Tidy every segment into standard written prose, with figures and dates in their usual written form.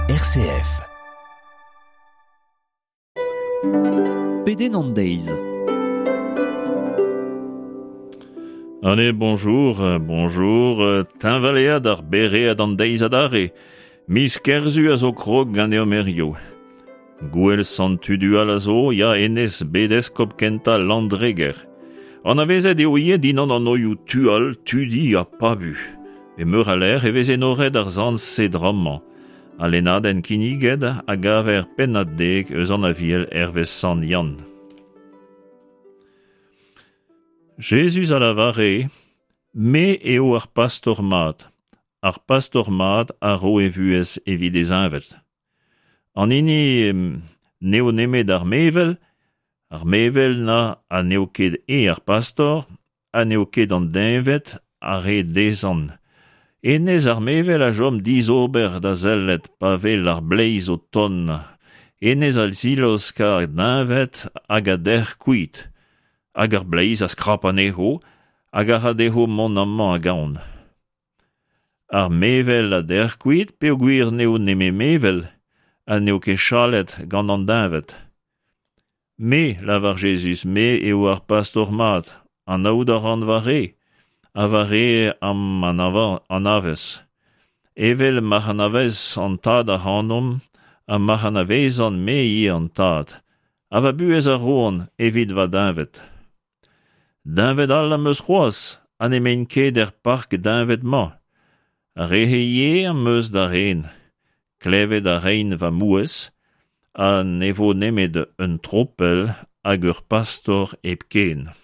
RCF. Pedenn an deiz. Allez, bonjour, bonjour, teñvalead ar beread an deiz adarre. Miz Kerzu a zo krog ganeomp hiziv. Gouel Sant Tudual a zo, ya hennezh bet eskob kentañ Landreger. Anavezet eo ivez dindan an anvioù Tual, Tudi ha Pabu. E meur a lec'h e vez enoret ar sant-se drammañ. Al lennadenn kinniget a gaver pennad dek eus an Aviel hervez Sant Yann. Jezuz a lavare, Me eo ar pastor mat. Ar pastor mat a ro e vuhez evit e zeñved. An hini n'eo nemet ar mevel, ar mevel na ha n'eo ket eñ ar pastor, ha n'eo ket an deñved a re dezhañ. Hennezh ar mevel a chom dizober da sellet pa wel ar bleiz o tont. Hennezh a zilaosk ar deñved hag a dec'h kuit. Hag ar bleiz a skrap anezho hag a ra dezho mont amañ hag ahont. Ar mevel a dec'h kuit peogwir n'eo nemet mevel ha n'eo ket chalet gant an deñved. Me, lavar Jezuz, me eo ar pastor mat, anaout a ran va re, ha va re am anavez. Evel ma'c'h anavez an Tad ac'hanomp ha ma'c'h anavezan me ivez an Tad, ha va buhez a roan evit va deñved. Deñved all am eus c'hoazh ha n'emaint ket er park deñved-mañ. Ar re-se ivez am eus da ren. Klevet a raint va mouezh ha ne vo nemet un tropell hag ur pastor hepken.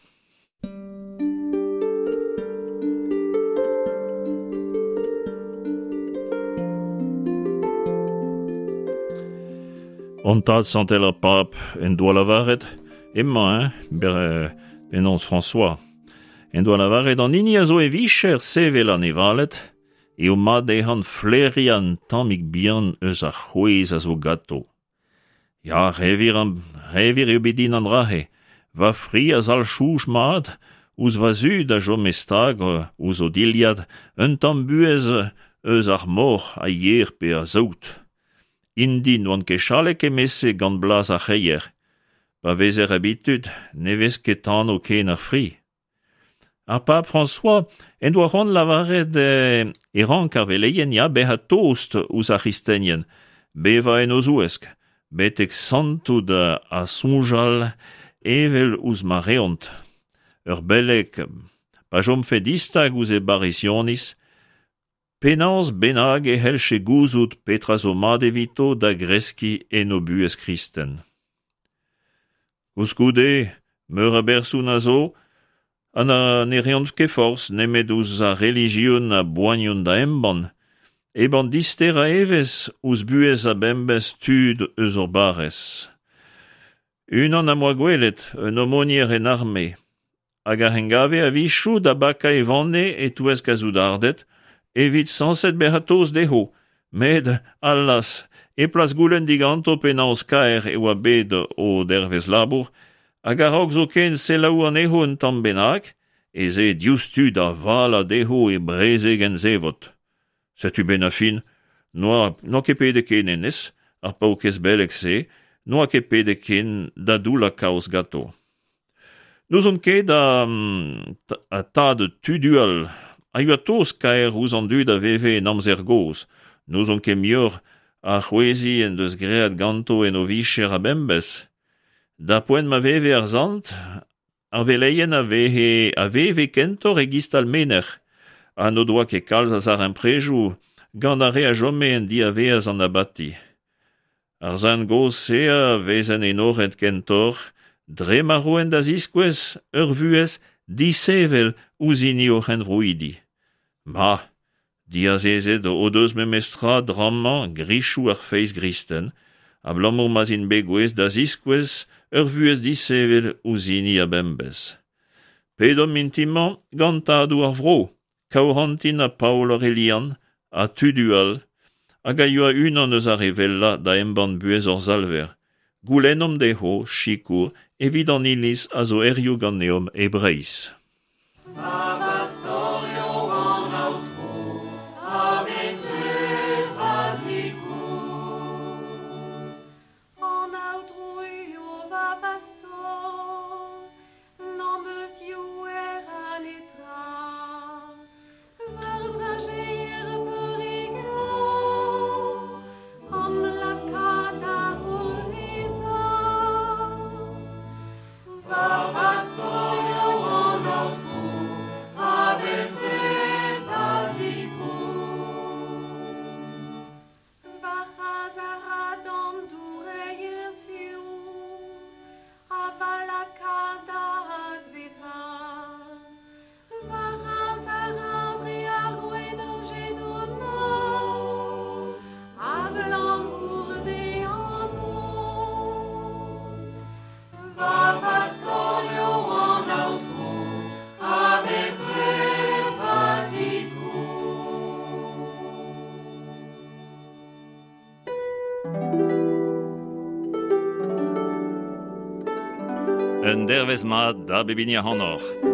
Hon tad santel ar Pab en doa lavaret emañ, eñ, penaos François, en doa lavaret an hini a zo e vicher sevel anevaled eo mat dezhañ flaeriañ un tammig bihan eus ar c'hwezh a zo ganto. Ya, re-wir, re-wir eo bet din an dra-se. Va fri a zalc'h soñj mat ouzh va zud a chome stag ouzh o dilhad un tamm buhez eus ar moc'h, a yer pe a saout. Int-i n'oant ket chalet kement-se gant blaz ar c'hreier. Pa vezer abitud ne vez ket tanv ken ar fri. Ar pab François en doa c'hoant lavaret e rank ar veleien ya bezañ tost ouzh ar c'hristenien, bevañ en o zouesk, betek santout ha soñjal evel ouzh ma reont. Ur beleg, pa chomfe distag ouzh e barrisioniz, penaos bennak e c'hellje gouzout petra zo mat evito da greskiñ en o buhez kristen. Koulskoude, meur a berson a zo ha na ne reont ket forzh nemet ouzh ar relijion a boaniont da embann, hep an disterañ evezh ouzh buhez a-bemdez tud eus hor barrez. Unan am boa gwelet, un aumônier en arme, hag a engave a-wechoù da bakañ e vanne e-touesk ar soudarded evit sañset bezañ tost dezho, met, allaz, e plas goulenn diganto penaos kaer e oa bet o dervezh labour, hag a-raok zoken selaou anezho un tamm bennak, ez ae diouzhtu da valañ dezho e brezegenn zevot. Setu 'benn ar fin, n'oa n'oa ket pedet ken hennezh, ar paourkaezh beleg-se, n'oa ket pedet ken da doullañ kaoz ganto. N'ouzon ket ha tad Tudual a yoa tost-kaer ouzh an dud a veve en amzer gozh. N'ouzon ket muioc'h a c'hweziñ en deus graet ganto en o vicher a-bemdez. D'ar poent ma veve ar sant, ar veleien a veze a veve kentoc'h e-giz talmenec'h ha n'o doa ket kalz a zarempredoù gant ar re a chome en diavaez an abati. Ar sent gozh-se a vezent enoret kentoc'h dre ma roent da ziskouez ur vuhez disheñvel ouzh hini o c'henvroidi. Ma, diazezet o deus memestra drammañ grichoù ar feiz gristen, abalamour ma'z int bet gouest da ziskouez ur vuhez disheñvel ouzh hini a-bemdez. Pedomp mintin-mañ gant tadoù ar vro, Kaourantin ha Paol Aorelian ha Tudual, hag a yoa unan eus ar re wellañ da embann buhez hor Salver, goulennomp dezho sikour evit an Iliz a zo hiziv ganeomp e Breizh. Un dervezh mat da bep hini ac'hanoc'h.